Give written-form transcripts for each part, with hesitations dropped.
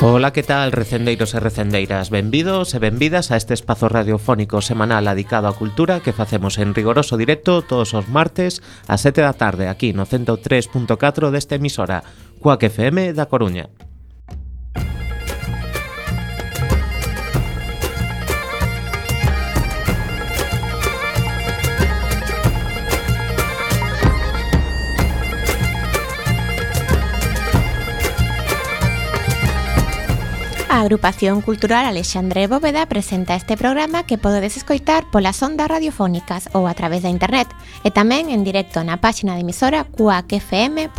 Ola, que tal, recendeiros e recendeiras? Benvidos e benvidas a este espazo radiofónico semanal dedicado á cultura que facemos en rigoroso directo todos os martes a 7 da tarde aquí no 103.4 desta emisora, Cuac FM da Coruña. A Agrupación Cultural Alexandre Bóveda presenta este programa que podedes escoitar polas ondas radiofónicas ou a través da internet e tamén en directo na páxina de emisora cuacfm.org.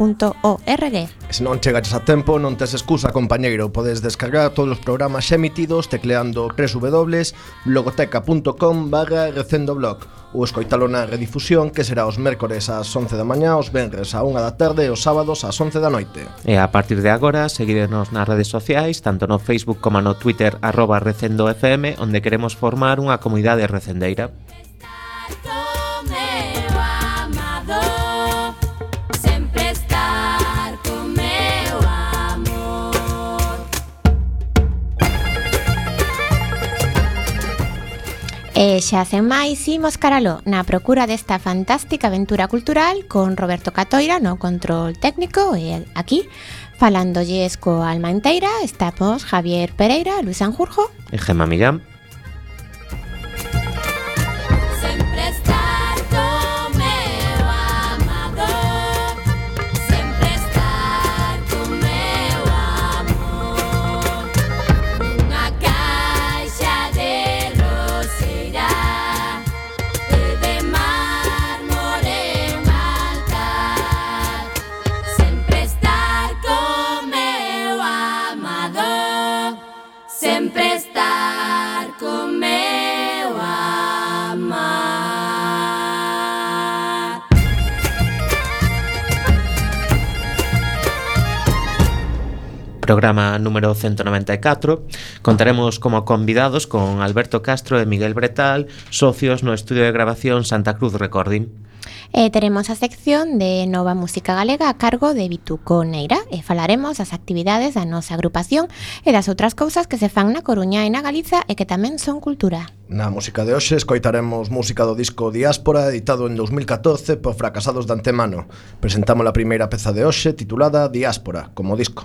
Se non chegaches a tempo, non tes excusa, compañeiro. Podes descargar todos os programas xa emitidos tecleando www.logoteca.com/recendoblog ou escoitalo na redifusión, que será os mércores ás 11 da mañá, os venres á 1 da tarde e os sábados ás 11 da noite. E a partir de agora, seguidenos nas redes sociais, tanto no Facebook como no Twitter @recendofm, onde queremos formar unha comunidade recendeira. E xa sen máis, imos caralo na procura desta fantástica aventura cultural con Roberto Catoira no control técnico e aquí, falándolles coa alma inteira, estamos Javier Pereira, Luis Sanjurjo e Gemma Millán. Programa número 194. Contaremos como convidados con Alberto Castro e Miguel Bretal, socios no estudio de grabación Santa Cruz Recording. E teremos a sección de Nova Música Galega a cargo de Vituco Neira e falaremos das actividades da nosa agrupación e das outras cousas que se fan na Coruña e na Galiza e que tamén son cultura. Na música de hoxe escoitaremos música do disco Diáspora, editado en 2014 por Fracasados de Antemano. Presentamos a primeira peza de hoxe titulada Diáspora, como disco.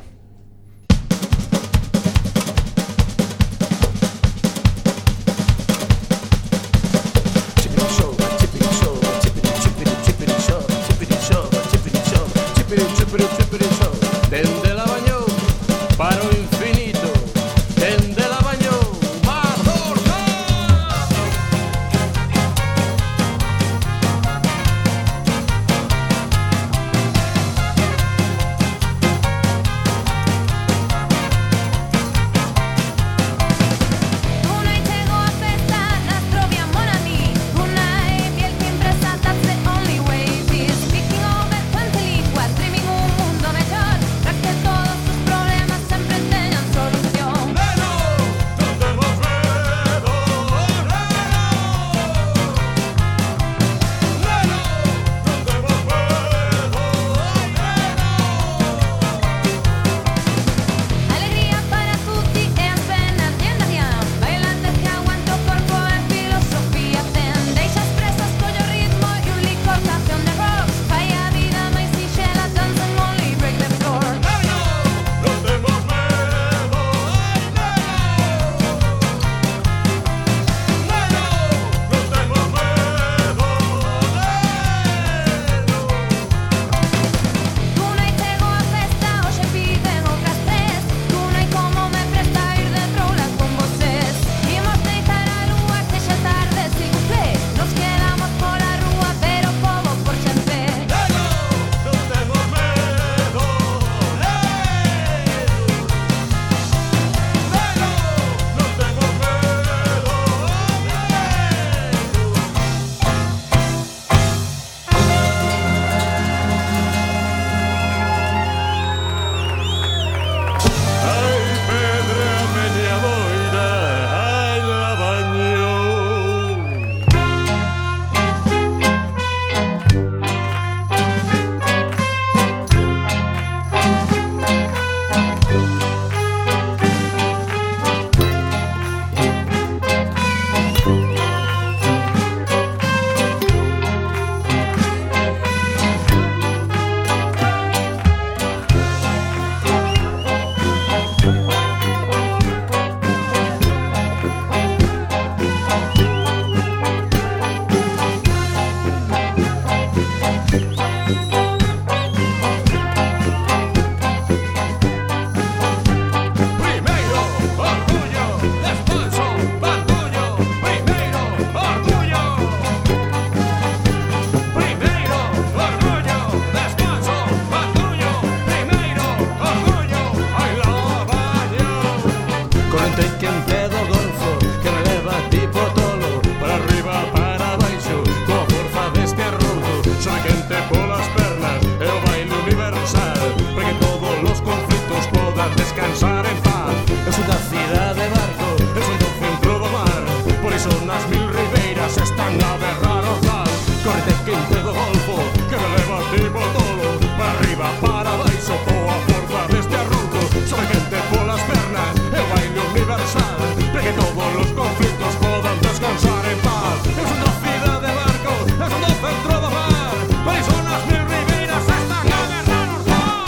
Correte quente do golfo que me leva tipo tolo para arriba, para baixo, coa forza deste arrondo. Sobe quente polas pernas, é o baile universal para que todos os conflitos podan descansar en paz. Eu son da cidade de Barco, eu son do centro do mar, por iso nas mil ribeiras están a berrar o tal. Correte quente do golfo que me leva tipo tolo para arriba, para baixo, coa forza deste arrondo. Sobe quente polas pernas, é o baile universal para que todos os conflitos podan descansar en paz. Eu son da cidade de Barco, eu son do centro do mar, por iso nas mil ribeiras están a berrar o tal.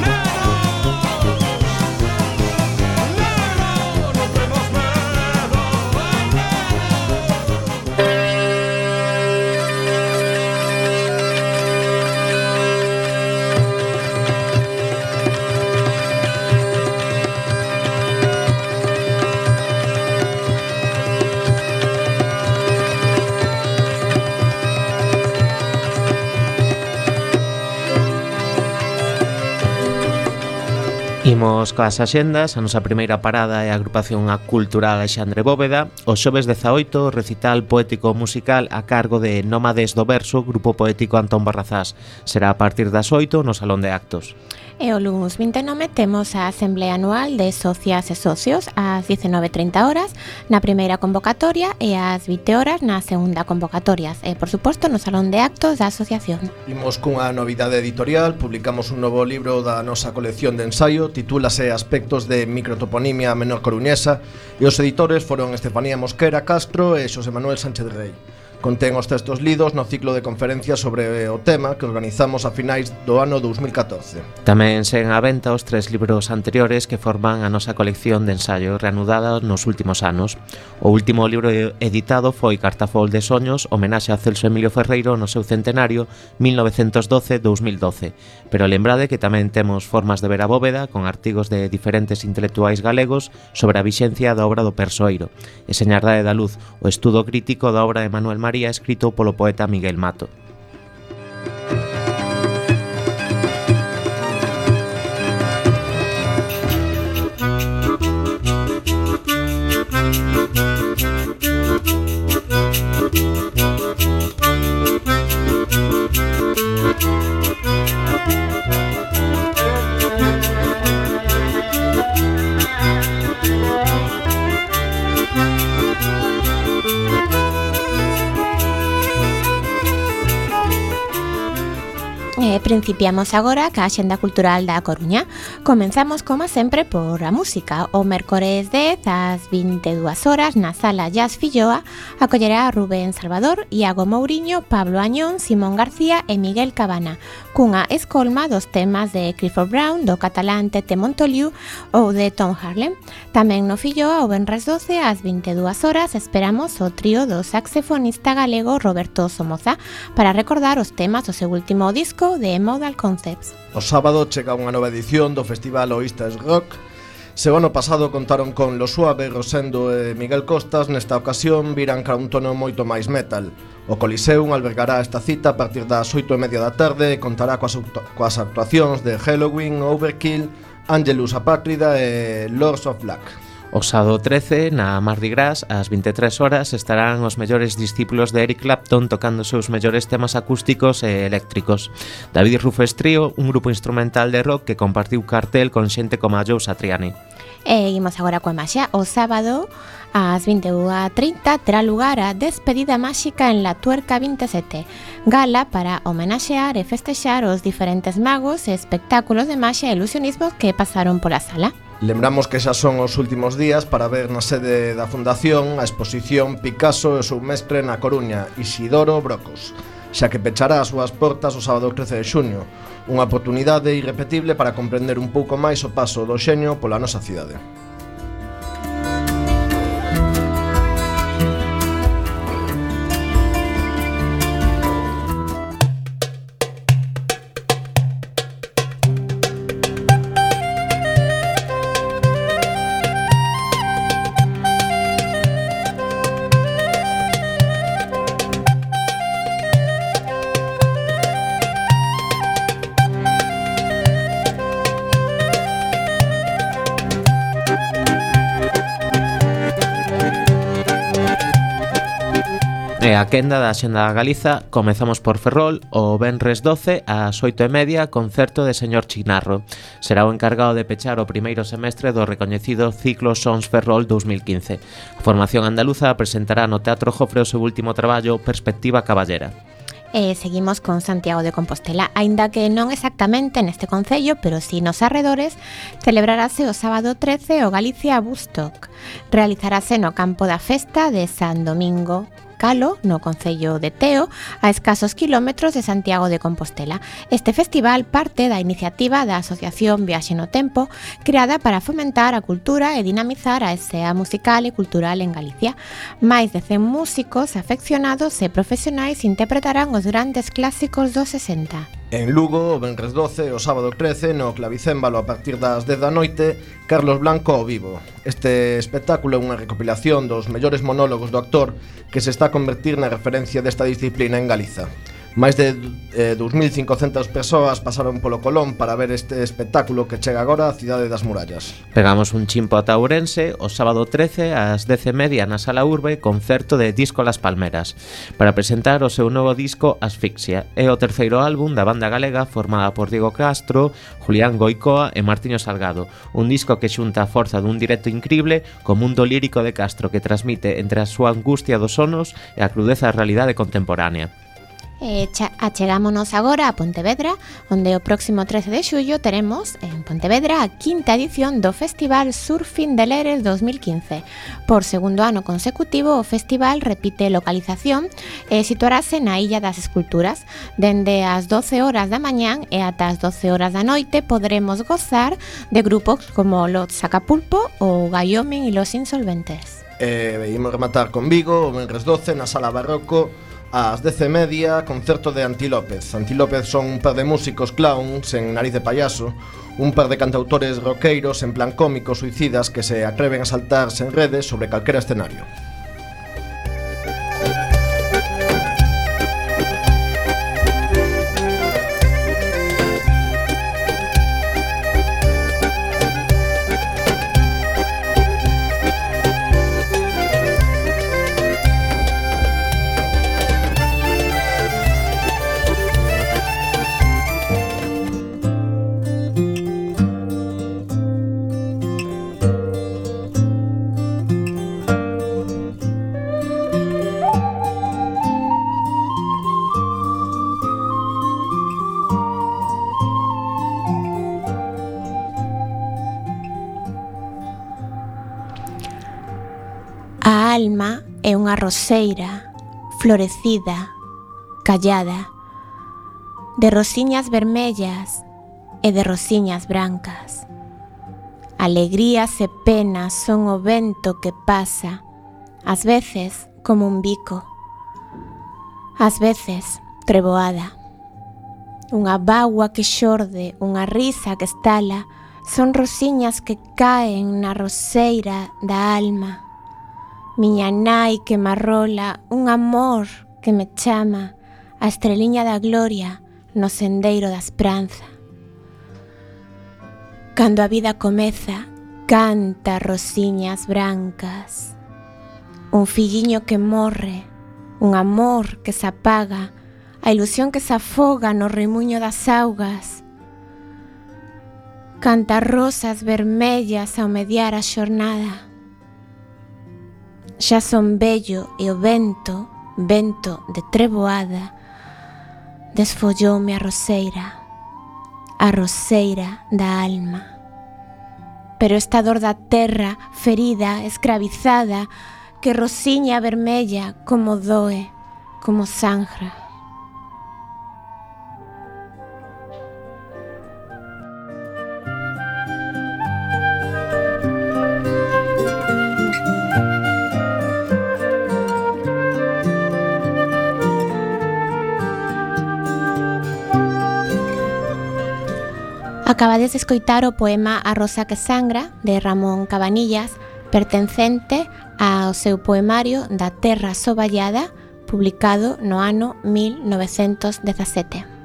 Negro, non temos medo, Imos coas axendas, a nosa primeira parada é a agrupación cultural Alexandre Bóveda. O xoves 18, recital poético musical a cargo de Nómades do Verso, grupo poético Antón Barrazás. Será a partir das 8 no Salón de Actos. E o luns 29 temos a Asamblea Anual de Socias e Socios ás 19:30 horas na primeira convocatoria e ás 20 horas na segunda convocatoria e, por suposto, no Salón de Actos da Asociación. Imos cunha novidade editorial, publicamos un novo libro da nosa colección de ensaio, titúlase Aspectos de microtoponimia menor coruñesa e os editores foron Estefanía Mosquera Castro e Xosé Manuel Sánchez Rey. Contén os textos lidos no ciclo de conferencias sobre o tema que organizamos a finais do ano 2014. Tamén seguen á venta os 3 libros anteriores que forman a nosa colección de ensaio reanudada nos últimos anos. O último libro editado foi Cartafol de Soños, homenaxe a Celso Emilio Ferreiro no seu centenario 1912-2012. Pero lembrade que tamén temos Formas de ver a Bóveda con artigos de diferentes intelectuais galegos sobre a vixencia da obra do Persoeiro e Señardade da Luz, o estudo crítico da obra de Manuel María escrito polo poeta Miguel Mato. Principiamos agora ca Axenda Cultural da Coruña. Comenzamos, como sempre, por a música. O mércores 10 ás 22 horas na Sala Jazz Filloa acollerá a Rubén Salvador, Iago Mouriño, Pablo Añón, Simón García e Miguel Cabana, cunha escolma dos temas de Clifford Brown, do catalán Tete Montoliu ou de Tom Harlem. Tamén no Filloa, o venres 12 ás 22 horas, esperamos o trío do saxofonista galego Roberto Somoza para recordar os temas do seu último disco de Modal Concepts. O sábado chega unha nova edición do Festival Oístas Rock. Se o ano pasado contaron con Lo Suave, Rosendo e Miguel Costas, nesta ocasión virán cara un tono moito máis metal. O Coliseum albergará esta cita a partir das 8:30 da tarde e contará coas actuacións de Halloween, Overkill, Angelus Apátrida e Lords of Black. O sábado 13, na Mardi Gras, ás 23 horas, estarán os mellores discípulos de Eric Clapton tocando os seus mellores temas acústicos e eléctricos. David Rufus Trio, un grupo instrumental de rock que compartiu cartel con xente como a Joe Satriani. E imos agora coa maxia. O sábado ás 21:30 terá lugar a Despedida Máxica en La Tuerca 27, gala para homenaxear e festexar os diferentes magos e espectáculos de maxia e ilusionismo que pasaron pola sala. Lembramos que xa son os últimos días para ver na sede da Fundación a exposición Picasso e o seu mestre na Coruña, Isidoro Brocos, xa que pechará as súas portas o sábado 13 de xuño, unha oportunidade irrepetible para comprender un pouco máis o paso do xenio pola nosa cidade. E a quenda da Xenda da Galiza comezamos por Ferrol o venres 12 ás 8:30 concerto de Señor Chinarro. Será o encargado de pechar o primeiro semestre do recoñecido ciclo Sons Ferrol 2015. A formación andaluza presentará no Teatro Jofre o seu último traballo Perspectiva Caballera. Seguimos con Santiago de Compostela, aínda que non exactamente neste concello, pero si nos arredores, celebrarase o sábado 13 o Galicia Bustock. Realizarase no campo da festa de San Domingo Calo, no concello de Teo, a escasos kilómetros de Santiago de Compostela. Este festival parte da iniciativa da Asociación Viaxe no Tempo, creada para fomentar a cultura e dinamizar a escena musical e cultural en Galicia. Máis de 100 músicos afeccionados e profesionais interpretarán os grandes clásicos dos 60. En Lugo, o venres 12 e o sábado 13, no Clavicémbalo a partir das 10 da noite, Carlos Blanco ao vivo. Este espectáculo é unha recopilación dos mellores monólogos do actor que se está a convertir na referencia desta disciplina en Galiza. Máis de 2.500 persoas pasaron polo Colón para ver este espectáculo que chega agora á cidade das murallas. Pegamos un chimpo ata Ourense o sábado 13 ás 10:30 na Sala Urbe, concerto de Disco Las Palmeras, para presentar o seu novo disco Asfixia. É o terceiro álbum da banda galega formada por Diego Castro, Julián Goicoa e Martiño Salgado. Un disco que xunta a forza dun directo incrible co mundo lírico de Castro que transmite entre a súa angustia dos sonos e a crudeza da realidade contemporánea. Achegámonos agora a Pontevedra, onde o próximo 13 de xullo teremos en Pontevedra a quinta edición do Festival Surfing de Leres 2015. Por segundo ano consecutivo, o festival repite localización e situarase na Illa das Esculturas. Dende as 12 horas da mañán e ata as 12 horas da noite poderemos gozar de grupos como Los Sacapulpo ou Wyoming e Los Insolventes. Imos rematar con Vigo, o venres 12 na Sala Barroco, ás 10:30, concerto de Antilópez. Antilópez son un par de músicos clowns en nariz de payaso, un par de cantautores roqueiros en plan cómicos suicidas que se atreven a saltarse en redes sobre calquera escenario. A alma é unha roseira florecida, callada, de rosiñas vermellas e de rosiñas brancas. Alegrías e penas son o vento que pasa, ás veces como un bico, ás veces treboada. Unha bágua que xorde, unha risa que estala, son rosiñas que caen na roseira da alma. Miña nai que me arrola, un amor que me chama, a estreliña da gloria no sendeiro da esperanza. Cando a vida comeza, canta rosiñas brancas. Un filliño que morre, un amor que se apaga, a ilusión que se afoga no remuño das augas. Canta rosas vermellas ao mediar a xornada. Xa son vello e o vento, vento de treboada, desfolloume a roseira da alma. Pero esta dor da terra, ferida, escravizada, que rosiña vermella como doe, como sangra. Acabades de escoitar o poema A Rosa que sangra, de Ramón Cabanillas, pertencente ao seu poemario Da Terra Soballada, publicado no ano 1917.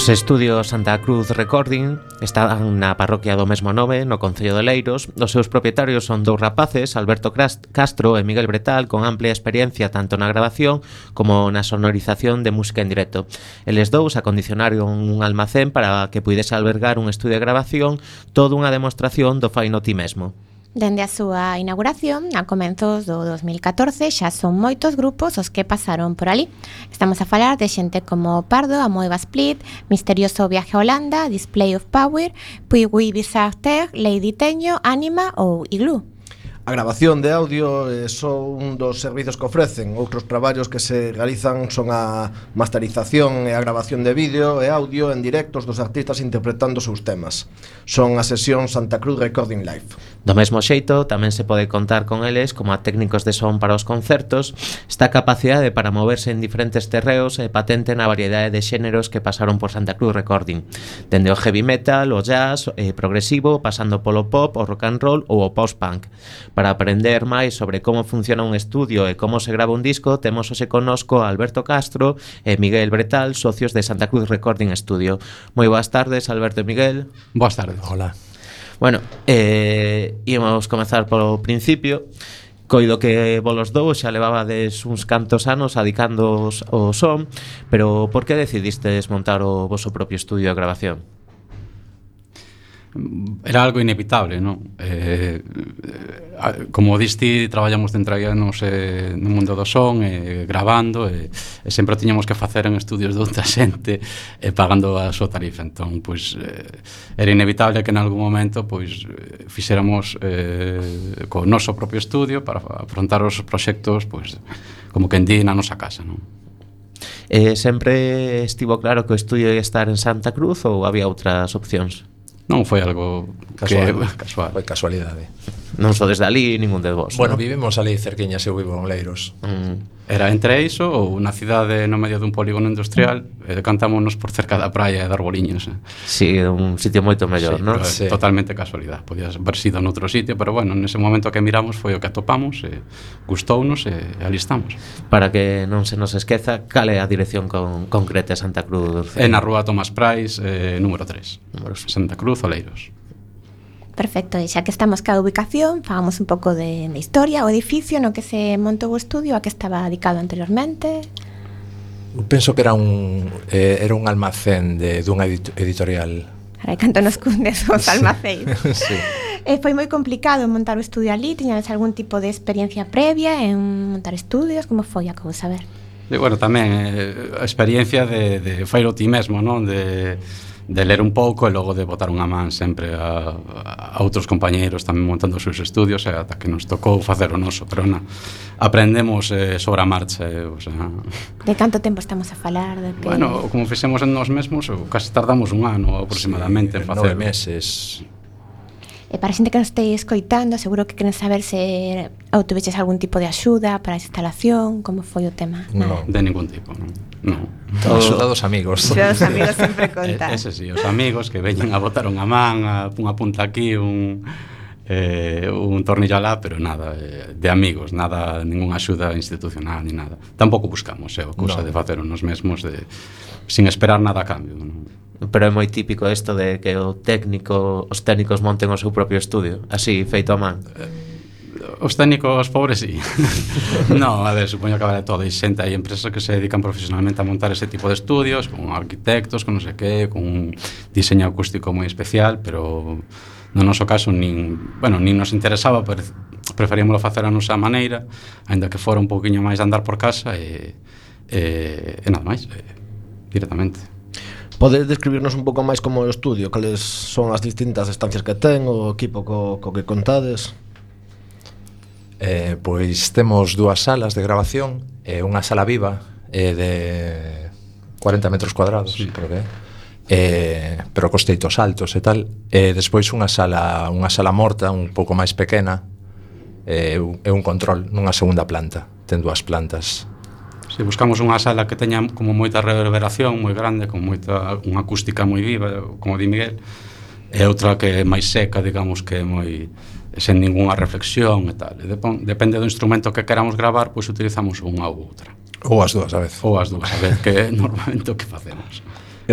Os estudios Santa Cruz Recording están na parroquia do mesmo nome, no concello de Leiros. Os seus propietarios son dous rapaces, Alberto Castro e Miguel Bretal, con amplia experiencia tanto na grabación como na sonorización de música en directo. Eles dous acondicionaron un almacén para que puidese albergar un estudio de grabación, toda unha demostración do fai no ti mesmo. Dende a súa inauguración, a comenzos do 2014, xa son moitos grupos os que pasaron por ali. Estamos a falar de xente como Pardo, Amoeba Split, Misterioso Viaje a Holanda, Display of Power, Puigui Bizarre Terre, Lady Teño, Anima ou Igloo. A grabación de audio é só un dos servizos que ofrecen. Outros traballos que se realizan son a masterización e a grabación de vídeo e audio en directos dos artistas interpretando os seus temas. Son a sesión Santa Cruz Recording Live. Do mesmo xeito, tamén se pode contar con eles como a técnicos de son para os concertos. Esta capacidade para moverse en diferentes terreos é patente na variedade de xéneros que pasaron por Santa Cruz Recording, dende o heavy metal, o jazz, progresivo, pasando polo pop, o rock and roll ou o post-punk. Para aprender máis sobre como funciona un estudio e como se grava un disco, temos hoxe connosco a Alberto Castro e Miguel Bretal, socios de Santa Cruz Recording Studio. Moi boas tardes, Alberto e Miguel. Boas tardes. Hola. Bueno, íamos comezar polo principio. Coido que volos dous xa levabades uns cantos anos adicándoos ao son, pero por que decidistes montar o voso propio estudio de grabación? Era algo inevitable, non? Como diste, traballamos de entreganos no mundo do son, gravando, e sempre tiñamos que facer en estudios de outra xente pagando a súa tarifa. Entón, pois, era inevitable que en algún momento pois fixéramos co noso propio estudio para afrontar os proxectos pois, como que en di na nosa casa, non? Sempre estivo claro que o estudio ia estar en Santa Cruz ou había outras opcións? Non foi algo casual. Foi casualidade. Non só desde ali, ningún de vos. Bueno, ¿no? vivimos ali cerquiñas, eu vivo en Leiros. Era entre iso ou na cidade no medio dun polígono industrial e decantámonos por cerca da praia e de arboliños. Sí, un sitio moito mellor, Sí, non? sí. Totalmente casualidade. Podía haber sido noutro sitio, pero bueno, nese momento que miramos foi o que atopamos e gustounos e ali estamos. Para que non se nos esqueza, cal é a dirección concreta de Santa Cruz? É na rúa Tomás Prais, número 3. Número Santa Cruz, Oleiros. Perfecto, e xa que estamos ca ubicación, fagamos un pouco de historia, o edificio no que se montou o estudio, a que estaba dedicado anteriormente. Penso que era un almacén dunha editorial. Carai, canto nos cundes os almacéns. Sí. Foi moi complicado montar o estudio ali, tiñades algún tipo de experiencia previa en montar estudios, como foi a cousa, a ver? E, bueno, tamén a experiencia de failo ti mesmo, non? De ler un pouco e logo de botar unha man sempre a outros compañeiros tamén montando os seus estudios e ata que nos tocou facer o noso, pero aprendemos sobre a marcha, o sea. De canto tempo estamos a falar? De que... Bueno, como fixemos en nós mesmos, casi tardamos un ano aproximadamente en facer. 9 meses. E para a xente que nos esteis escoitando, seguro que queren saber se obtuveches algún tipo de axuda para a instalación, como foi o tema. No. De ningún tipo, non. Axuda dos amigos. Os amigos sempre contan. Ese sí, os amigos que veñen a botar unha man, unha punta aquí, un tornillo alá, pero nada, de amigos, nada, ninguna axuda institucional ni nada. Tampouco buscamos, cousa de facer nos mesmos sin esperar nada a cambio, non? Pero é moi típico isto de que os técnicos monten o seu propio estudio, así, feito a man. Os técnicos pobres, sí. No, a ver, supoño que vale todo. Hai xente, hai empresas que se dedican profesionalmente a montar ese tipo de estudios, con arquitectos, con non sei que, con un diseño acústico moi especial, pero no noso caso nin nos interesaba, preferíamos facer a nosa maneira, aínda que fora un pouquiño máis de andar por casa e nada máis, directamente. Podes describirnos un pouco máis como o estudio, cales son as distintas estancias que ten, o equipo co que contades? Pois temos 2 salas de grabación, unha sala viva de 40 metros cuadrados, sí. Creo que pero cos teitos altos e tal, e despois unha sala morta un pouco máis pequena, e un control nunha segunda planta, ten 2 plantas. Si buscamos unha sala que teña como moita reverberación moi grande, con unha acústica moi viva, como di Miguel, e outra que é máis seca, digamos, que é moi sen ningunha reflexión e tal. Depende do instrumento que queramos gravar, pois utilizamos unha ou outra. Ou as dúas a vez. Ou as dúas a vez, que é normalmente o que facemos.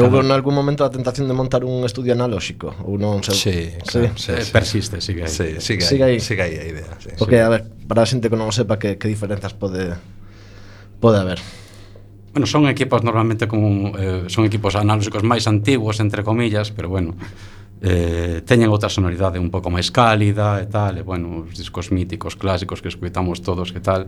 Houve en algún momento a tentación de montar un estudio analóxico ou non sei. Sí, claro, sí, sí. Persiste, sigue aí. Sí, Sigue aí. sigue aí a idea, sí. Porque, a ver, para a xente que non o sepa, que diferenzas pode haber? Bueno, son equipos normalmente como son equipos analóxicos máis antigos, entre comillas, pero bueno, teñen outra sonoridade un pouco máis cálida e tal, e bueno, os discos míticos clásicos que escuitamos todos e tal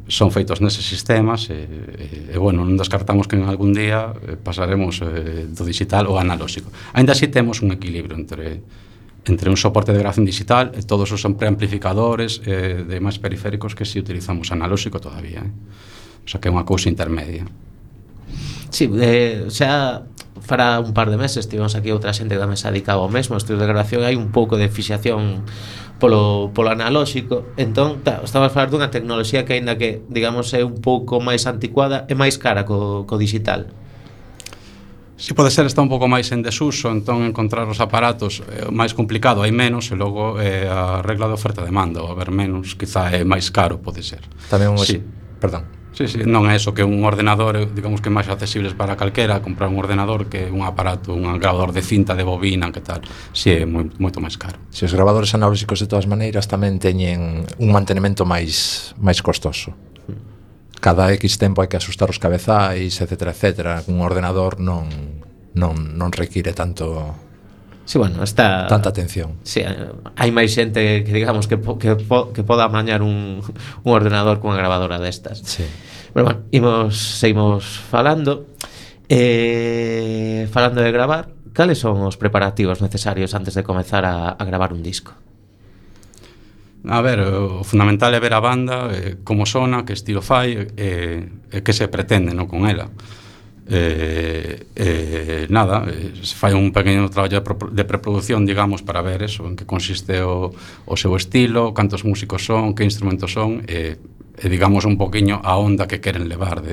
son feitos neses sistemas e bueno, non descartamos que en algún día pasaremos do digital ao analóxico. Ainda así temos un equilibrio entre un soporte de grabación digital e todos os preamplificadores de máis periféricos que si utilizamos analóxico todavía, O sea que é unha cousa intermedia. Sí, xa fará un par de meses tivemos aquí outra xente que tamén se dedicaba ao mesmo estudio de grabación, hai un pouco de fixación polo analóxico. Entón, estamos a falar dunha tecnoloxía que aínda que, digamos, é un pouco máis anticuada, é máis cara co digital. Si pode ser, está un pouco máis en desuso, entón encontrar os aparatos é máis complicado, hai menos, e logo a regla de oferta-demanda, ou haber menos, quizá é máis caro, pode ser. Tamén sí. Perdón. Sí, non é eso que un ordenador, digamos que é máis accesibles para calquera, comprar un ordenador que un aparato, un grabador de cinta, de bobina, que tal, si é moito máis caro. Si os grabadores analóxicos de todas maneiras tamén teñen un mantenimento máis costoso. Cada X tempo hai que asustar os cabezais, etcétera, etcétera. Un ordenador non require tanto... Sí, bueno, tanta atención. Sí, hai máis xente que digamos que poda amañar un ordenador cunha grabadora destas. Sí. Pero bueno, seguimos falando. Falando de gravar, cales son os preparativos necesarios antes de comezar a gravar un disco? A ver, o fundamental é ver a banda, como sona, que estilo fai, que se pretende, non, con ela. Nada, se fai un pequeno traballo de preproducción, digamos, para ver eso, en que consiste o seu estilo, cantos músicos son, que instrumentos son, e digamos un poquinho a onda que queren levar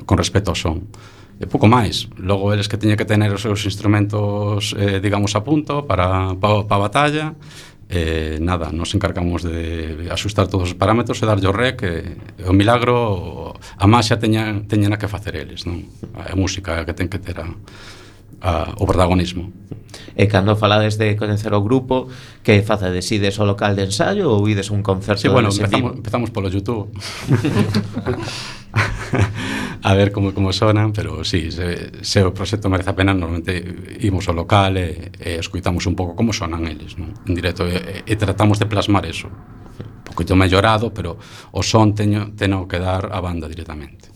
con respecto ao son. E pouco máis. Logo eles que teñen que tener os seus instrumentos, digamos, a punto para a batalla. Nada, nos encargamos de asustar todos os parámetros e darlle o rec, o milagro, a máxia teñen que facer eles, non? A música que ten que ter o protagonismo. E cando falades de coñecer o grupo, que facedes? Ides ao local de ensayo ou ides a un concerto? Sí, bueno, empezamos polo YouTube a ver como sonan, pero sí, se o proxecto merece a pena, normalmente imos ao local e escuitamos un pouco como sonan eles, non? En directo, e tratamos de plasmar eso, un poquito mellorado, pero o son teno que dar a banda directamente.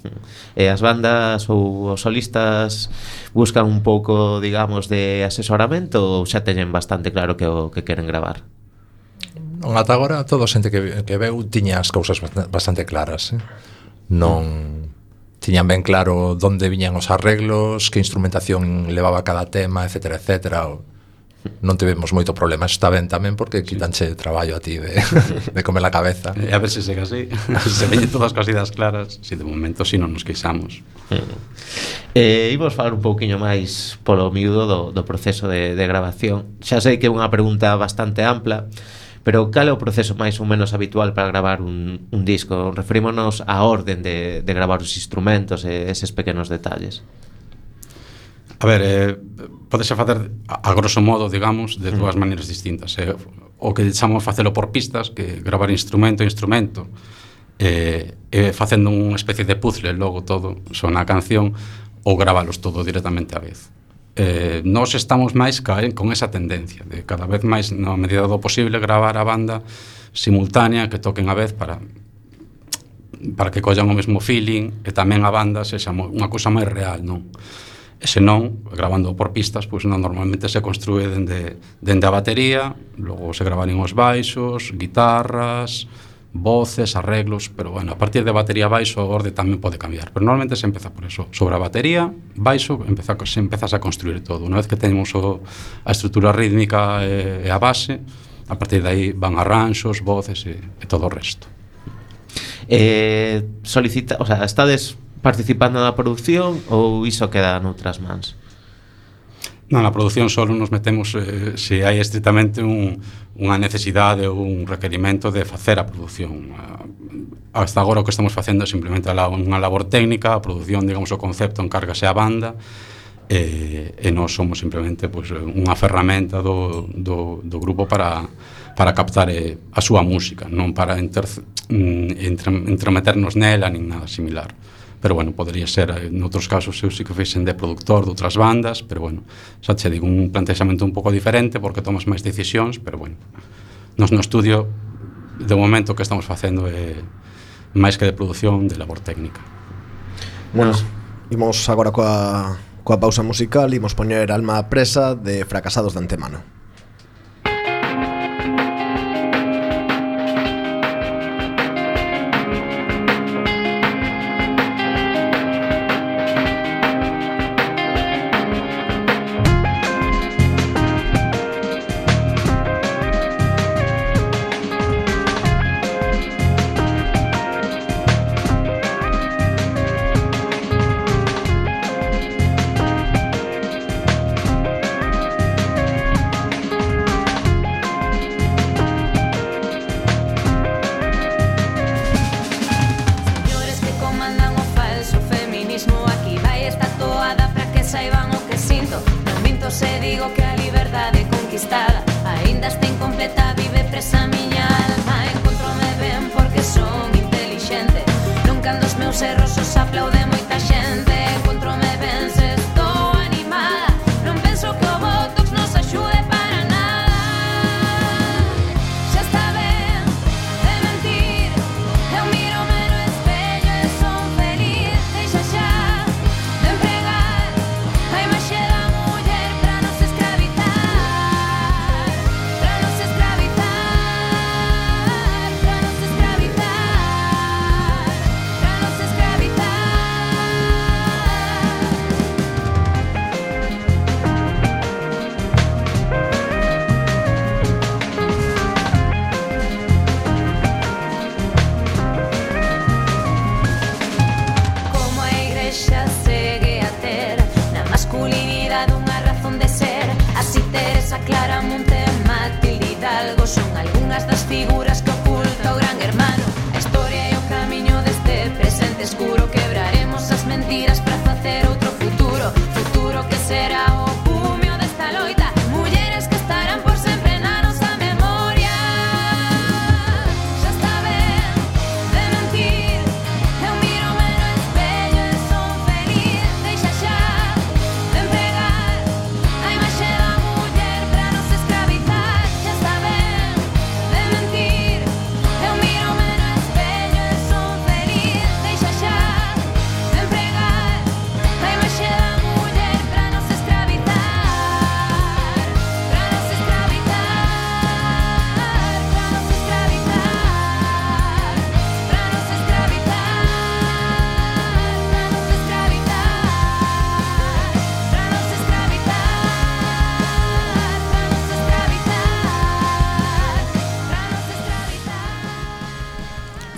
E as bandas ou os solistas buscan un pouco, digamos, de asesoramento ou xa teñen bastante claro que o que queren gravar? Non, ata agora todo a xente que veu tiña as cousas bastante claras, non tiñan ben claro onde viñan os arreglos, que instrumentación levaba cada tema, etcétera, etcétera. Non tivemos moito problema. Está ben tamén porque quitanche traballo a ti de comer la cabeza. A ver se segue así. Se veñen todas as cosidas claras. Si de momento si non nos queixamos. Imos falar un pouquiño máis polo miúdo do proceso de grabación. Xa sei que é unha pregunta bastante ampla, pero cal é o proceso máis ou menos habitual para gravar un disco? Referímonos á orden de gravar os instrumentos e eses pequenos detalles. A ver, podese facer a grosso modo, digamos, de dúas maneiras distintas. O que chamamos facelo por pistas, que gravar instrumento a instrumento, facendo unha especie de puzzle, logo todo sona a canción, ou gravalos todo directamente á vez. Nós estamos máis con esa tendencia de cada vez máis, na medida do posible, gravar a banda simultánea, que toquen a vez para que collan o mesmo feeling, e tamén a banda sexa unha cousa máis real, non? E senón, grabando por pistas, pois normalmente se construe dende a batería, logo se grabarían os baixos, guitarras, voces, arreglos, pero bueno, a partir de batería baixo o orde tamén pode cambiar, pero normalmente se empeza por eso, sobre a batería, baixo, se empezas a construir todo. Unha vez que temos a estrutura rítmica e a base, a partir de aí van arranxos, voces e todo o resto. O sea, estades participando na produción ou iso queda noutras mans? Na produción solo nos metemos se hai estritamente unha necesidade ou un requerimento de facer a produción. Hasta agora o que estamos facendo é simplemente unha labor técnica, a produción, digamos, o concepto encárgase a banda, e nós somos simplemente pues, unha ferramenta do grupo para captar a súa música, non para entremeternos nela nin nada similar. Pero bueno, podría ser, en outros casos eu sí que fixen de productor de outras bandas, pero bueno, xa che digo, un plantexamento un pouco diferente porque tomas máis decisións, pero bueno, nos no estudio de momento que estamos facendo é máis que de produción, de labor técnica. Bueno, imos agora coa pausa musical, imos poñer Alma Presa de Fracasados de Antemano.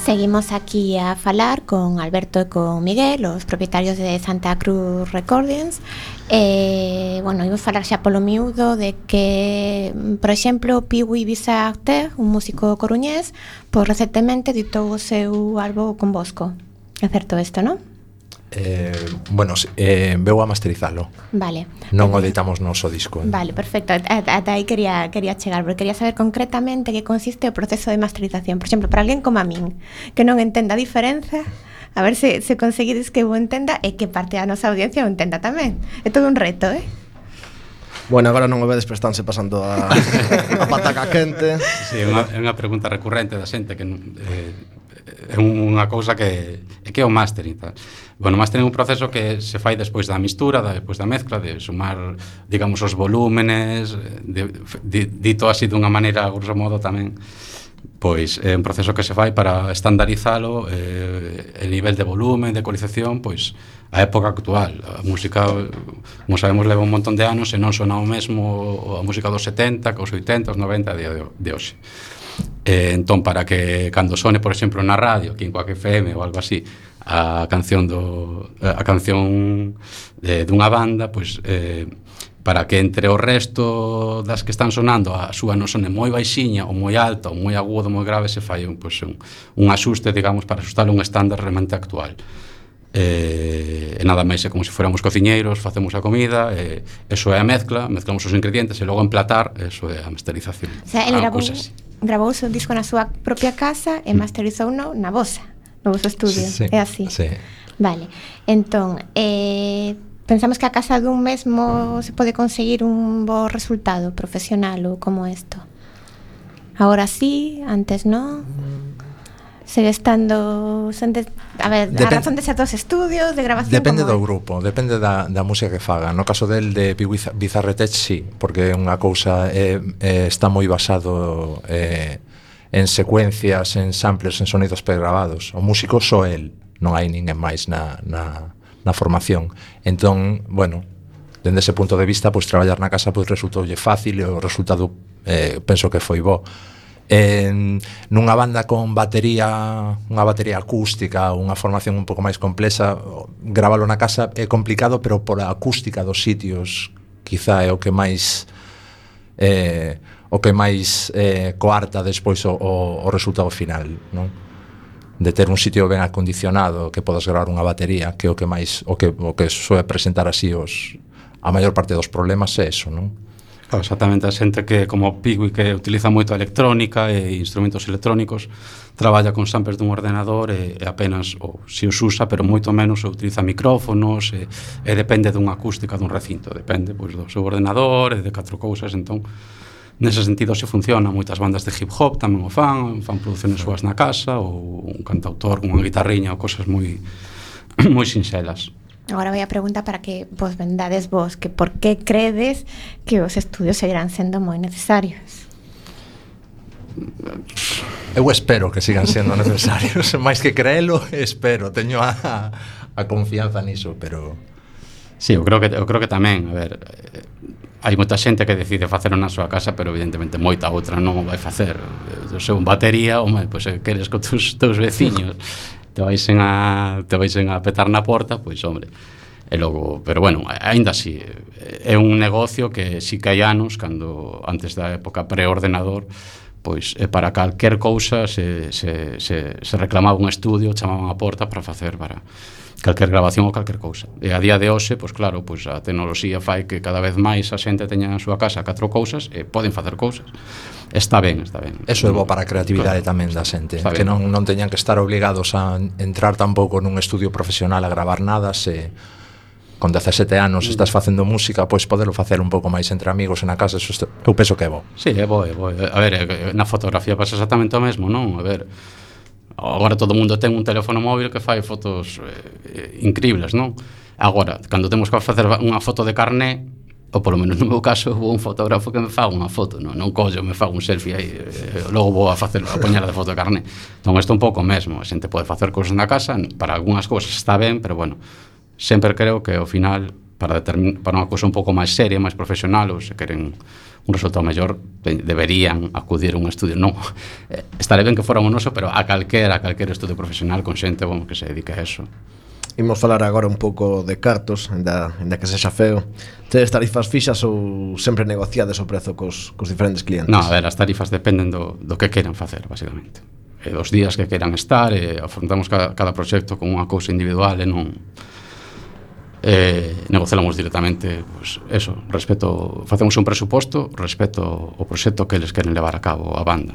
Seguimos aquí a falar con Alberto e con Miguel, os propietarios de Santa Cruz Recordings. Bueno, imos falar xa polo miúdo de que, por exemplo, Piwi Bisarte, un músico coruñés, pois recentemente editou o seu álbum con Bosco. É certo isto, non? Bueno, veu a masterizalo. Vale. Non o editamos noso disco. Vale, perfecto. Ata aí quería chegar, porque quería saber concretamente que consiste o proceso de masterización. Por exemplo, para alguén como a min, que non entenda a diferenza, a ver se conseguides que eu entenda e que parte da nosa audiencia o entenda tamén. É todo un reto, Bueno, agora non o vedes, pero estánse pasando a pataca quente. Sí, é unha pregunta recurrente da xente que é unha cousa que é o mastering, tal. Bueno, o mastering é un proceso que se fai despois da mistura, despois da mezcla, de sumar, digamos, os volúmenes, dito así dunha maneira, grosso modo, tamén, pois é un proceso que se fai para estandarizalo, el nivel de volumen, de ecualización, pois a época actual. A música, como sabemos, leva un montón de anos e non sona o mesmo a música dos 70, que os 80, os 90 de hoxe. Entón, para que cando sone, por exemplo, na radio, aquí en Coac FM ou algo así, a canción dunha banda, pois para que entre o resto das que están sonando a súa non sone moi baixiña ou moi alta ou moi aguda ou moi grave, se fai un axuste, digamos, para ajustar un estándar realmente actual. E nada máis é como se fóramos cociñeiros, facemos a comida, eso é a mezclamos os ingredientes e logo emplatar, eso é a masterización. O sea, ele gravou o disco na súa propia casa e masterizou no vosa estudio, sí, é así? Sí. Vale, entón, pensamos que a casa dun mesmo se pode conseguir un bo resultado profesional ou como isto? Agora sí, antes non? Segue estando... A ver, a razón de ser dos estudios, de grabación... Depende do grupo, depende da música que faga. No caso del de Bizarre Tech, sí, porque é unha cousa está moi basado en secuencias, en samplers, en sonidos pregrabados. O músico só el, non hai ninguén máis na formación. Entón, bueno, dende ese punto de vista, pois traballar na casa pois resultoulle fácil e o resultado penso que foi bo. Nunha banda con unha batería acústica, unha formación un pouco máis complexa, gravalo na casa é complicado, pero por a acústica dos sitios quizá é o que máis coarta despois o resultado final, non? De ter un sitio ben acondicionado que podas gravar unha batería, que é o que soe presentar así a maior parte dos problemas é eso, non? Claro, exactamente, a xente que como Pigui, que utiliza moito a electrónica e instrumentos electrónicos, traballa con samples dun ordenador e apenas si os usa, pero moito menos utiliza micrófonos e depende dunha acústica dun recinto, depende pois do seu ordenador e de 4 cousas. Entón, nese sentido se funciona. Moitas bandas de hip hop tamén o fan produciones súas na casa, ou un cantautor con unha guitarriña ou cosas moi sinxelas. Agora vai a pregunta para que vos vendades vos, que por que credes que os estudios seguirán sendo moi necesarios? Eu espero que sigan sendo necesarios, máis que creelo, espero, teño a confianza niso, pero... Sí, eu creo que tamén, a ver, hai moita xente que decide facelo na súa casa, pero evidentemente moita outra non o vai facer. O seu batería, pois queres con teus veciños, te vaisen a petar na porta, pois hombre, e logo, pero bueno, aínda así é un negocio que si que hai anos, cando antes da época preordenador, pois para calquer cousa se reclamaba un estudio, chamaban a porta para facer para calquer grabación ou calquer cousa. E a día de hoxe, pois claro, pois a tecnoloxía fai que cada vez máis a xente teña na súa casa 4 cousas e poden facer cousas. Está ben. Eso é bo para a creatividade, claro, tamén da xente, que non teñan que estar obligados a entrar tampouco nun estudio profesional a gravar nada. Se con 17 anos estás facendo música, pois podelo facer un pouco máis entre amigos e na casa, eso eu penso que é bo. Sí, é bo. A ver, na fotografía pasa exactamente o mesmo, non? A ver, agora todo o mundo ten un teléfono móvil que fai fotos increíbles, non? Agora, cando temos que facer unha foto de carné, ou polo menos no meu caso, vou un fotógrafo que me faga unha foto, non collo, me fago un selfie aí, logo vou a poñela de foto de carné. Entón, isto é un pouco mesmo, a xente pode facer cousas na casa, para algunhas cousas está ben, pero bueno, sempre creo que ao final, para unha cousa un pouco máis seria, máis profesional, ou se queren un resultado mellor, deberían acudir a un estudio. Non, estaré ben que fora un noso, pero a calquera estudio profesional con xente que se dedique a eso. Imos falar agora un pouco de cartos, ainda que sexa feo. Tedes tarifas fixas ou sempre negociades o prezo cos diferentes clientes? Non, a ver, as tarifas dependen do que queiran facer, basicamente. Dos días que queiran estar, afrontamos cada proxecto con unha cousa individual e non... negociamos directamente, pues eso, facemos un presuposto respecto ao proxecto que eles queren levar a cabo a banda.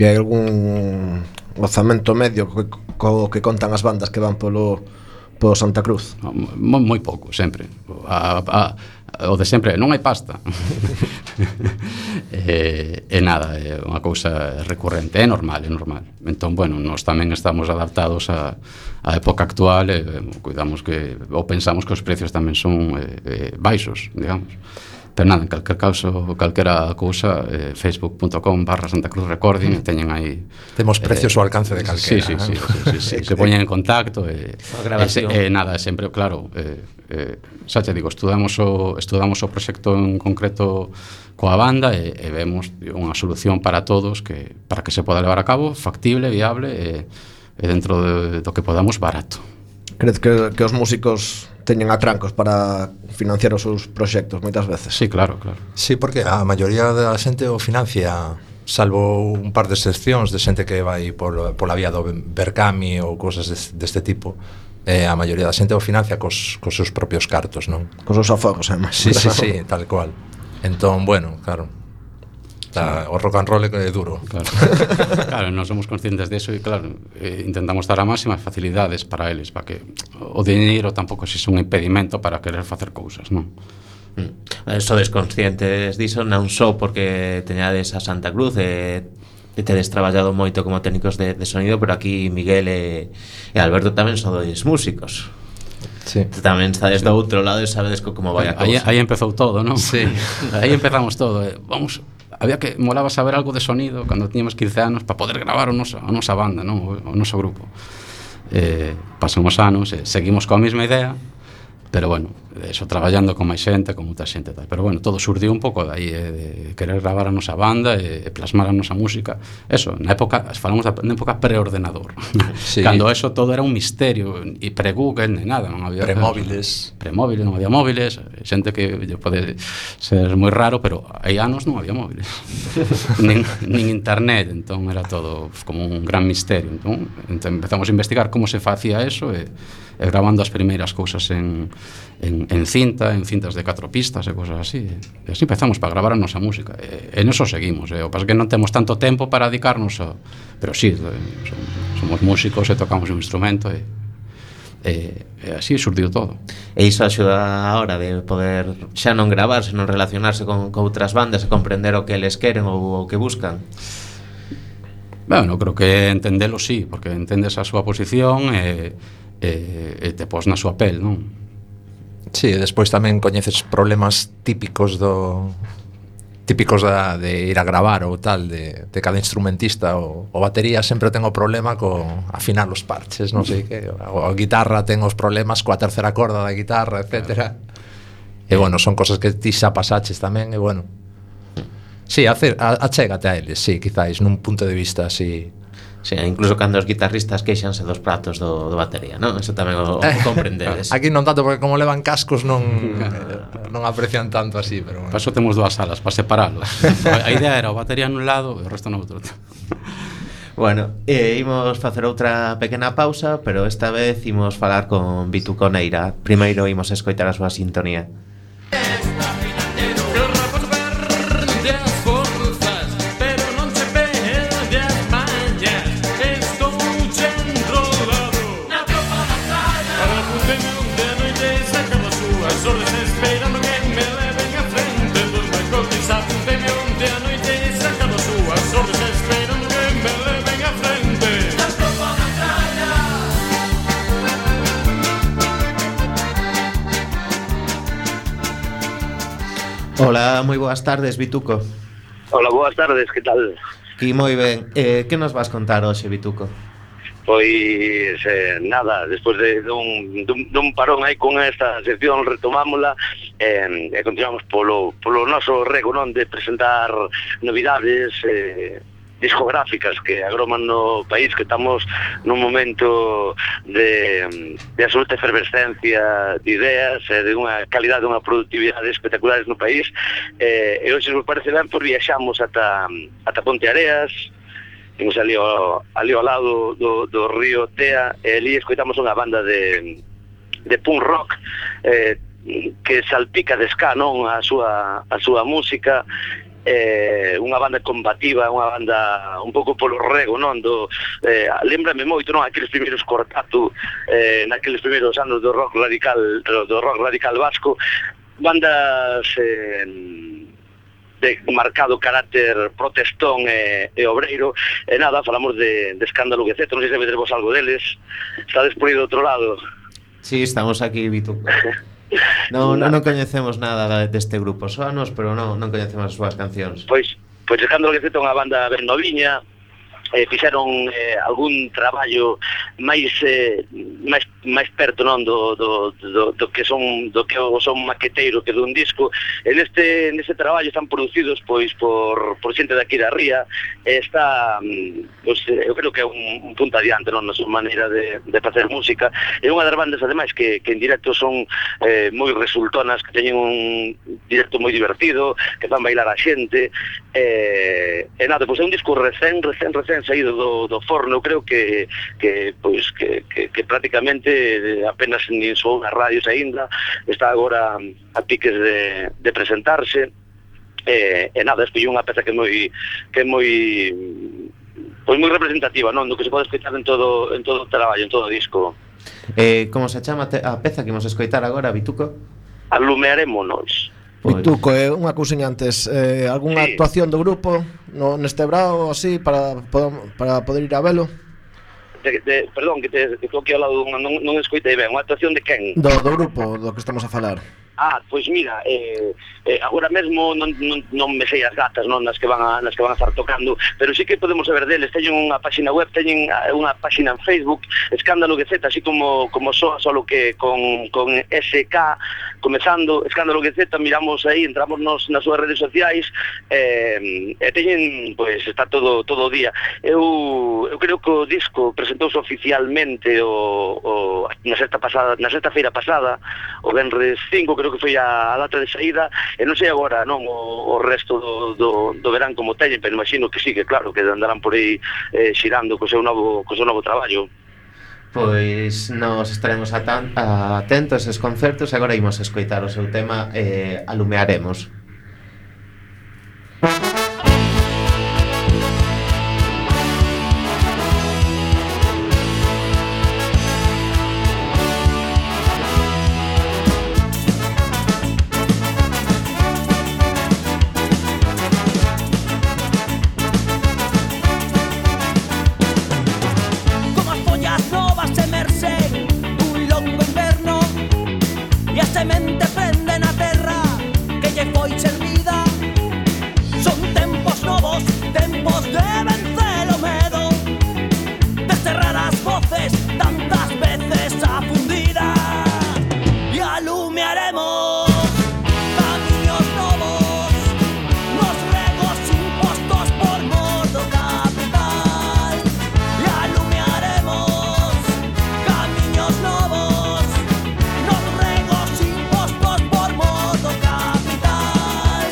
E hai algún orzamento medio co que contan as bandas que van polo Santa Cruz? Moi pouco, sempre. O de sempre, non hai pasta. E nada, é unha cousa recurrente, é normal. Entón, bueno, nós tamén estamos adaptados á época actual e cuidamos ou pensamos que os precios tamén son baixos, digamos. Pero nada, en calquer caso, calquera cousa, facebook.com/Santa Cruz Recording, teñen aí... Temos precios ao alcance de calquera. Sí, se poñen en contacto nada, sempre, claro, xa te digo, estudamos o proxecto en concreto coa banda e vemos unha solución para todos para que se poda levar a cabo, factible, viable e dentro do que podamos, barato. Crees que os músicos teñen atrancos para financiar os seus proxectos moitas veces? Sí, claro, claro. Sí, porque a maioría da xente o financia, salvo un par de excepcións de xente que vai pola vía do Berkami ou cousas deste tipo. A maioría da xente o financia cos seus propios cartos, non? Cos seus aforros, además. Sí, tal cual. Entón, bueno, claro, o rock and roll é duro. Claro, claro, non somos conscientes deso e claro, intentamos dar a máximas facilidades para eles, para que o diñeiro tampouco sexa un impedimento para querer facer cousas, non? Sodes conscientes diso non só porque teñades a Santa Cruz e tedes traballado moito como técnicos de sonido, pero aquí Miguel e Alberto tamén sodes músicos. Sí. Tamén estades do outro lado e sabedes como vai a cousa. Aí empezou todo, non? Sí. Aí empezamos todo. Había que molaba saber algo de sonido cando tiñamos 15 anos para poder gravar a nosa banda, non? O noso grupo. Pasan os anos, seguimos coa mesma idea, pero bueno, eso traballando con máis xente, con moita xente tal. Pero bueno, todo surdiu un pouco de aí, de querer gravar a nosa banda e plasmar a nosa música. Eso, na época, falamos da época preordenador. Sí. Cando eso todo era un misterio, e pre-Google, ni nada, non había Premóviles. Premóviles, non había móviles, xente que pode ser moi raro, pero hai anos non había móviles. nin internet, entón era todo como un gran misterio. Entón empezamos a investigar como se facía eso e grabando as primeiras cousas en cintas de 4 pistas e cousas así. E así empezamos para gravar a nosa música. E neso seguimos. O que pasa é que non temos tanto tempo para dedicarnos a... Pero sí, somos músicos e tocamos un instrumento e así surdiu todo. E iso axuda a hora de poder xa non gravar, senón relacionarse con outras bandas e comprender o que eles queren ou o que buscan. Bueno, creo que entendelo sí, porque entendes a súa posición e te pos na súa pel, non? Sí, e despois tamén coñeces problemas típicos de ir a gravar ou tal de cada instrumentista. O batería sempre ten o problema con afinar os parches, non sei que, a guitarra ten os problemas coa terceira corda da guitarra, etcétera. E bueno, son cosas que ti xa pasaches tamén, e bueno, sí, achégate a eles, sí, quizáis nun punto de vista así. Sí, incluso cando os guitarristas queixanse dos pratos do batería, non? Eso tamén o comprendedes. Aquí non tanto, porque como levan cascos non aprecian tanto así, pero bueno. Para eso temos 2 salas, para separalos. A idea era o batería nun lado e o resto no outro. Bueno, imos facer outra pequena pausa, pero esta vez imos falar con Bituco Neira. Primeiro imos escoitar a súa sintonía. Hola, moi boas tardes, Bituco. Hola, boas tardes, que tal? Aquí moi ben. Que nos vas contar hoxe, Bituco? Pois nada, despois dun parón aí con esta sección retomámola e continuamos polo noso rego, non, de presentar novidades discográficas que agroman no país, que estamos nun momento de absoluta efervescencia de ideas e de unha calidade, unha productividade espectaculares no país, e hoxe, se vos parece ben, pois viaxamos ata Ponte Areas, imos ali ao lado do río Tea, e ali escoitamos unha banda de punk rock que salpica de ska, non, a súa música, unha banda combativa, unha banda un pouco polo rego, non, lembrame moito, non, aqueles primeiros Cortatu, naqueles primeiros anos do rock radical vasco, bandas de marcado carácter protestón e obreiro, e nada, falamos de Escándalo GZ, non sei se vedes vos algo deles, estades por aí do outro lado. Sí, estamos aquí, Bituco. Non coñecemos nada deste grupo, soanos, pero non coñecemos as súas cancións. Pois Escándalo GZ é unha banda ben noviña, fixeron algún traballo máis máis perto, non, do que son maqueteiro que dun disco. Neste traballo están producidos pois por xente daqui da Ría, e está, pois, eu creo que é un punto adiante, non, na súa maneira de facer música. É unha das bandas ademais que en directo son moi resultonas, que teñen un directo moi divertido, que fan bailar a xente, e nada, pois é un disco recén saído do forno. Eu creo que prácticamente apenas nin sou nas radios aínda, está agora a piques de presentarse, e nada, escolli unha peza que é moi representativa, non, do que se pode escoitar en todo o traballo, en todo o disco. Como se chama a peza que imos escoitar agora, Vituco? Alumearémonos. Vituco, unha cousiña antes, algunha actuación do grupo neste brao así para poder ir a velo? Perdón, que estou aquí ao lado, non escoitei ben. Unha actuación de quen? Do grupo, do que estamos a falar. Pois mira, agora mesmo non me sei as datas, non, nas que van a estar tocando, pero sí que podemos saber deles. Teñen unha páxina web, teñen unha páxina en Facebook, Escándalo GZ, así como soa, solo que con SK comezando, Escándalo GZ. Miramos aí, entramos nas súas redes sociais, e teñen, pois, está todo o día. Eu creo que o disco presentouse oficialmente na sexta feira pasada, o venres 5, creo que foi a data de saída, e non sei agora, non, o resto do verán como teñen, pero imagino que sí, que claro, que andarán por aí xirando co seu novo traballo. Pois nos estaremos atentos a eses concertos, e agora imos escoitar o seu tema, Alumearemos. Semente prende na terra que lle foi servida. Son tempos novos, tempos de vencer o medo, de cerrar as voces tantas veces afundidas. E alumearemos camiños novos nos regos impostos por mor do capital. E alumearemos camiños novos nos regos impostos por mor do capital.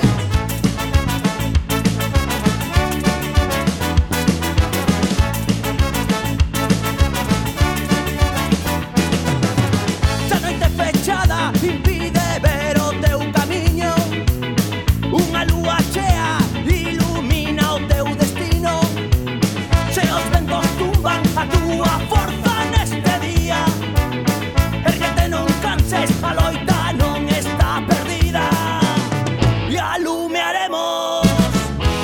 Se a noite fechada impide ver o teu camiño, unha lúa chea ilumina o teu destino. Se os ventos tumban a túa forza neste día, erguete, non canses, a loita non está perdida. E alumearemos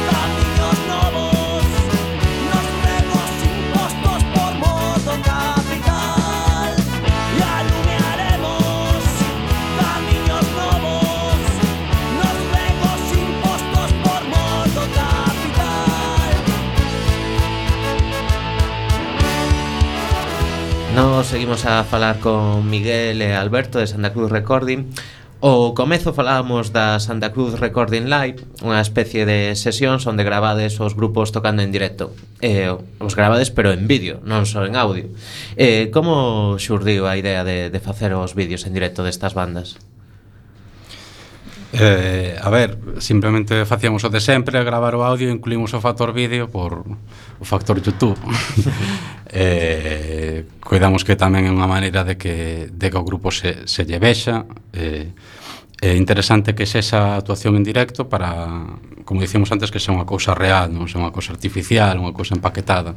camiños novos nos regos impostos por mor do capital. E alumearemos camiños novos nos regos impostos por mor do capital. Nos seguimos a falar con Miguel e Alberto de Santa Cruz Recording. O comezo falábamos da Santa Cruz Recording Live, unha especie de sesións onde gravades os grupos tocando en directo. Os gravades pero en vídeo, non só en audio. Como xurdiu a idea de facer os vídeos en directo destas bandas? A ver, simplemente facíamos o de sempre, gravar o audio, incluímos o factor vídeo por o factor YouTube. Coidamos que tamén é unha maneira de que o grupo se lle vexa. É interesante que esa actuación en directo para, como dicíamos antes, que sea unha cousa real, non sea unha cousa artificial, unha cousa empaquetada,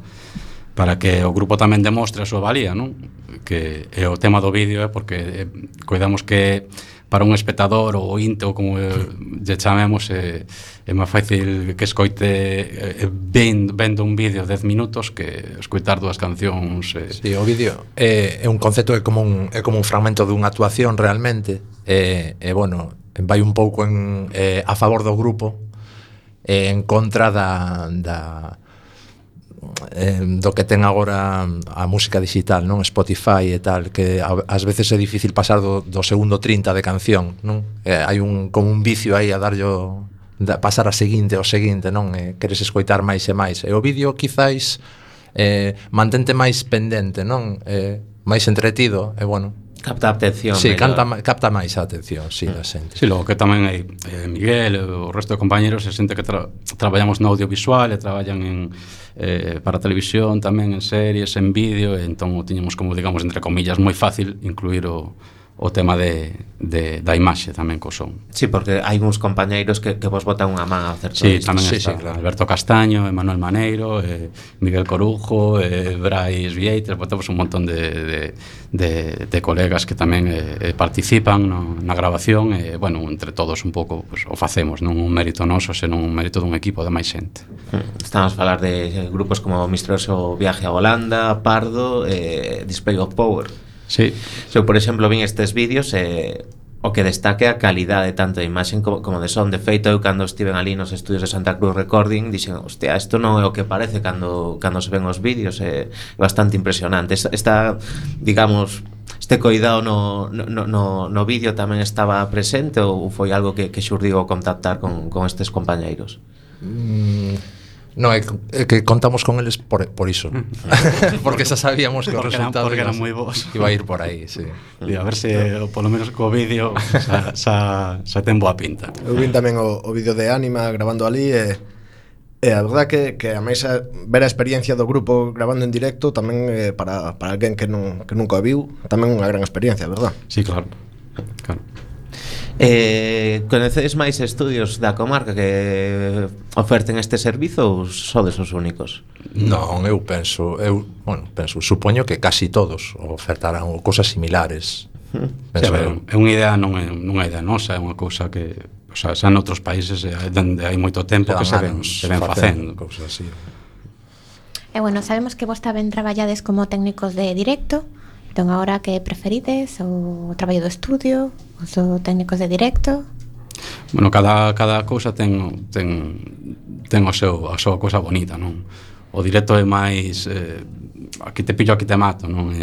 para que o grupo tamén demostre a súa valía, non? Que o tema do vídeo é porque coidamos que para un espectador ou ointe ou como lle chamemos é máis fácil que escoite vendo un vídeo 10 minutos que escoitar dúas cancións. Sí, o vídeo é un concepto, é como un fragmento dunha actuación realmente, bueno, vai un pouco a favor do grupo, en contra do que ten agora a música digital, non? Spotify e tal, que ás veces é difícil pasar do segundo 30 de canción, non? Hai como un vicio aí a darllo pasar a seguinte, non? Queres escoitar máis e máis. E o vídeo quizáis mantente máis pendente, non? Máis entretido, e bueno, capta a atención. Sí, capta máis a atención, sí, da xente. Sí, logo que tamén hai Miguel e o resto de compañeros se xente que traballamos no audiovisual e traballan para televisión tamén, en series, en vídeo, e entón tiñamos como, digamos, entre comillas, moi fácil incluir o tema da imaxe tamén co son. Sí, porque hai uns compañeiros que vos botan unha man a hacer todo sí, isto. Tamén está claro. Alberto Castaño, Emanuel Maneiro, Miguel Corujo, Brais Vieites, botamos un montón de colegas que tamén participan na grabación e, bueno, entre todos un pouco pues, o facemos, non un mérito noso, senón un mérito dun equipo de máis xente. Estamos a falar de grupos como Misterioso Viaje a Holanda, Pardo, Display of Power. Sí. Por exemplo, vin estes vídeos o que destaque a calidade tanto de imaxen como de son. De feito, eu cando estiven ali nos estudios de Santa Cruz Recording dixen, hostia, isto non é o que parece cando se ven os vídeos, é bastante impresionante. Esta digamos, este coidado no vídeo tamén estaba presente ou foi algo que xurdiu ao contactar con estes compañeiros? No, é que contamos con eles por iso. Porque xa sabíamos que o resultado porque eran moi bons. Iba a ir por aí, sí. E a ver se polo menos co vídeo xa ten boa pinta. Eu vin tamén o vídeo de Ánima grabando ali e a verdad que a máis ver a experiencia do grupo grabando en directo tamén para alguén que nunca o viu, tamén unha gran experiencia, verdad? Sí, claro. Conocedes máis estudios da comarca que oferten este servizo ou sodes os únicos? Non, eu supoño que casi todos ofertarán cosas similares. É unha idea, non é unha idea nosa, é unha cousa que, o sea, xa noutros países onde hai moito tempo que se ven facendo cousas así. E bueno, sabemos que vos tamén traballades como técnicos de directo. Entón, agora que preferides o traballo do estudio, os técnicos de directo? Bueno, cada cousa ten a súa cousa bonita, non? O directo é máis aquí te pillo, aquí te mato, non?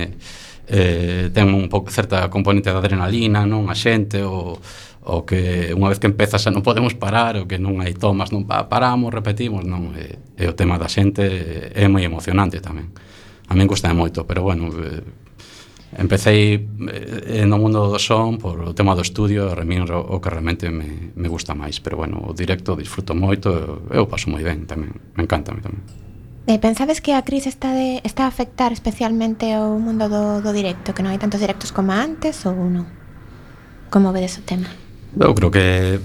Ten un pouco certa componente de adrenalina, non? A xente o que unha vez que empezas xa non podemos parar, o que non hai tomas, non paramos, repetimos, non? E o tema da xente é moi emocionante tamén. A min gusta moito, pero bueno, empecé no mundo do son por o tema do estudio, a mí o que realmente me gusta máis, pero bueno, o directo disfruto moito, eu paso moi ben tamén, me encanta a mí tamén. Pensades que a crise está a afectar especialmente o mundo do directo, que non hai tantos directos como antes ou non? Como vedes o tema? Eu creo que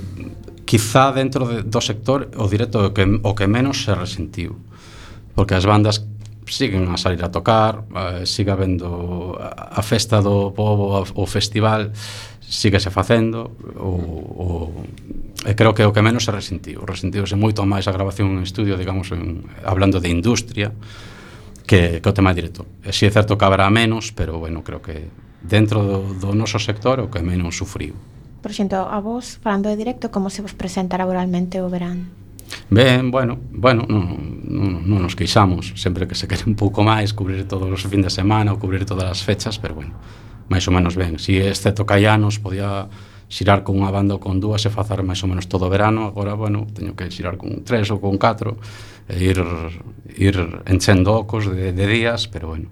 quizá dentro do sector o directo o que menos se resentiu, porque as bandas siguen a salir a tocar, siga habendo a festa do pobo, o festival síguese facendo, e creo que o que menos se resentiuse moito máis a grabación en estudio, digamos, hablando de industria, que o tema directo. E si é certo que habrá menos, pero bueno, creo que dentro do noso sector o que menos sufriu. Por exemplo, a vos, falando de directo, como se vos presenta laboralmente o verán? Ben, bueno, non nos queixamos, sempre que se quere un pouco máis cubrir todos os fin de semana ou cubrir todas as fechas, pero bueno, máis ou menos ben. Si excepto que hai anos podía xirar con unha banda ou con dúas e facer máis ou menos todo o verano, agora, bueno, teño que xirar con 3 ou con 4 e ir enchendo ocos de días, pero bueno,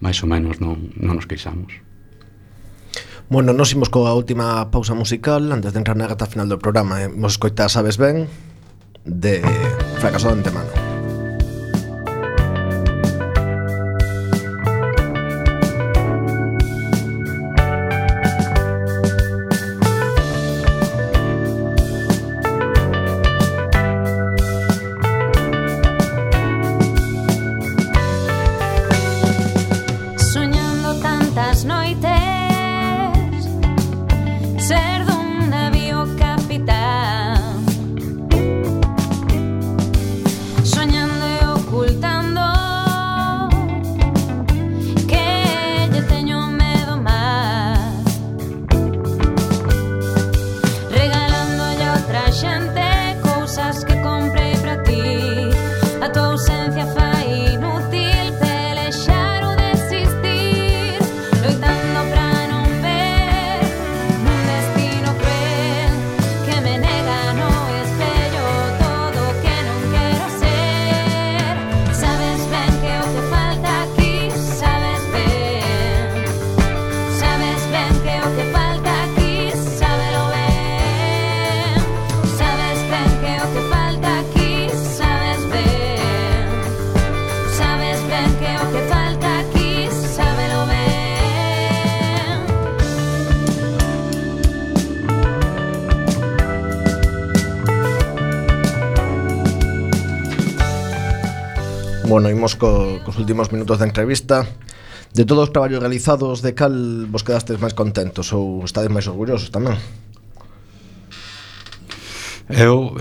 máis ou menos non nos queixamos. Bueno, nos imos coa última pausa musical antes de entrar na reta final do programa. Imos escoitar Sabes Ben de Fracaso de Antemano. Soñando tantas noites ser dun navío capitán, soñando e ocultando que lle teño medo máis, regalándolle a outra xente cousas que comprei para ti. A tua ausencia fai Bueno, imos cos últimos minutos da entrevista. De todos os traballos realizados, de cal vos quedastes máis contentos ou estades máis orgullosos tamén? Eu,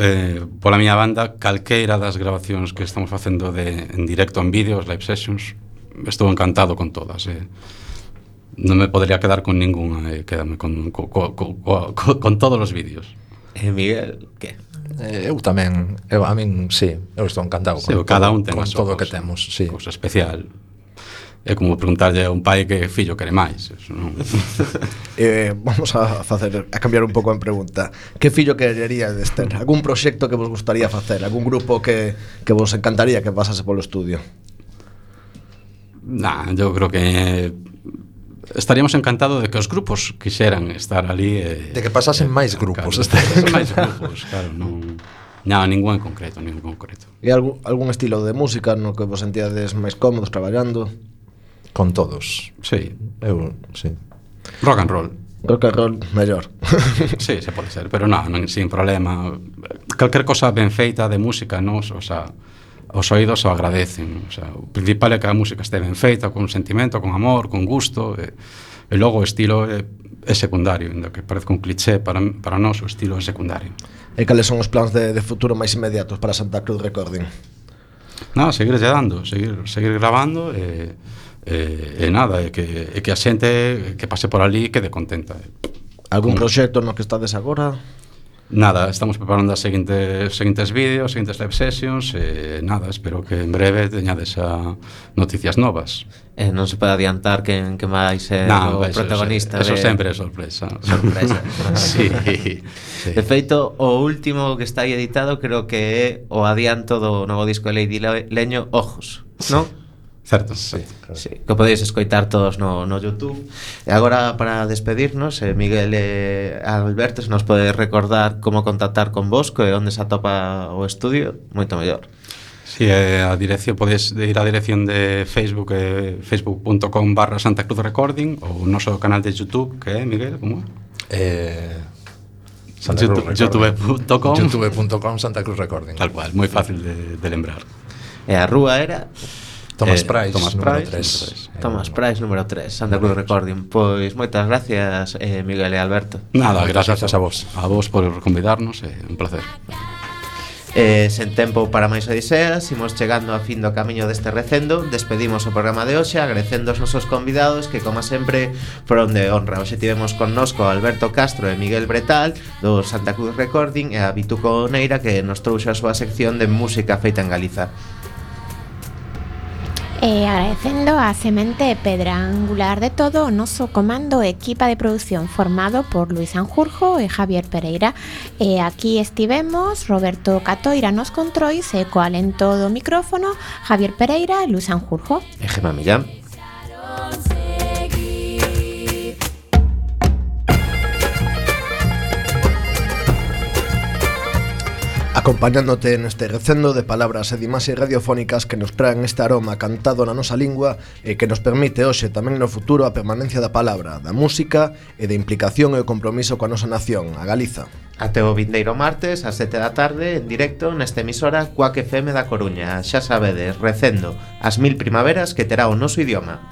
pola miña banda, calqueira das grabacións que estamos facendo en directo en vídeos, live sessions, estou encantado con todas. Non me podría quedar con ninguna, quédame con todos os vídeos. Miguel, que? Eu tamén, a min, sí, eu estou encantado con cada un ten con todo o que cousa, temos, sí. Cousa especial. É como preguntarlle a un pai que fillo quere máis. Eso non... Vamos a cambiar un pouco a pregunta. Que fillo quereríades ter? Algún proxecto que vos gustaría facer? Algún grupo que vos encantaría que pasase polo estudio? Yo creo que estaríamos encantados de que os grupos quixeran estar ali. De que pasasen máis grupos. Pasasen máis grupos, claro, non... ningún en concreto, E algún estilo de música no que vos sentíades máis cómodos traballando? Con todos. Sí. Eu, sí. Rock and roll. Rock and roll, mellor. Sí, se pode ser, pero non, sin problema. Calquer cosa ben feita de música, nos, o sea, os oídos o agradecen. O sea, o principal é que a música este ben feita, con sentimento, con amor, con gusto, e logo o estilo é secundario, ainda que parezca un cliché, para nós o estilo é secundario. E cales son os plans de futuro máis inmediatos para Santa Cruz Recording? Seguir dando, seguir grabando e nada, e que a xente que pase por ali quede contenta. Algún proxecto no que estades agora? Nada, estamos preparando as seguintes vídeos, seguintes live sessions, e nada, espero que en breve teñades noticias novas. Non se pode adiantar quen vai ser o protagonista. Eso sempre é sorpresa. Sí. De feito, o último que está aí editado creo que é o adianto do novo disco de Lady Leño, Ojos, non? Certo, sí, claro. Sí, que podéis escoitar todos no YouTube. E agora, para despedirnos, Miguel e Alberto, se nos pode recordar como contactar con vos, e onde se atopa o estudio, moito mellor. Sí, a dirección, podes ir á dirección de Facebook, facebook.com/Santa Cruz Recording, ou o noso canal de YouTube, que é, Miguel, como é? youtube.com Santa Cruz Recording. Tal cual, moi fácil de lembrar. E a rúa era Tomás Price, número 3. Tomás Price, número 3, Santa Cruz Recording. Pois moitas gracias, Miguel e Alberto. Nada, gracias a vos. A vos por convidarnos, un placer. Sen tempo para máis odiseas, imos chegando a fin do camiño deste recendo. Despedimos o programa de hoxe agradecendo aos nosos convidados que, como sempre, foron de honra. Hoxe tivemos connosco Alberto Castro e Miguel Bretal do Santa Cruz Recording, e a Vituco Neira, que nos trouxe a súa sección de música feita en Galiza. Agradecendo a semente e pedra angular de todo o noso comando e equipa de produción formado por Luis Sanjurjo e Javier Pereira. E aquí estivemos Roberto Catoira nos controis e co alento do micrófono Javier Pereira e Luis Sanjurjo. E Gemma Millán. Acompañándote neste recendo de palabras e de imaxes radiofónicas que nos traen este aroma cantado na nosa lingua e que nos permite hoxe tamén no futuro a permanencia da palabra, da música e de implicación e o compromiso coa nosa nación, a Galiza. Até o vindeiro martes ás 7 da tarde en directo nesta emisora Cuac FM da Coruña. Xa sabedes, recendo as 1000 primaveras que terá o noso idioma.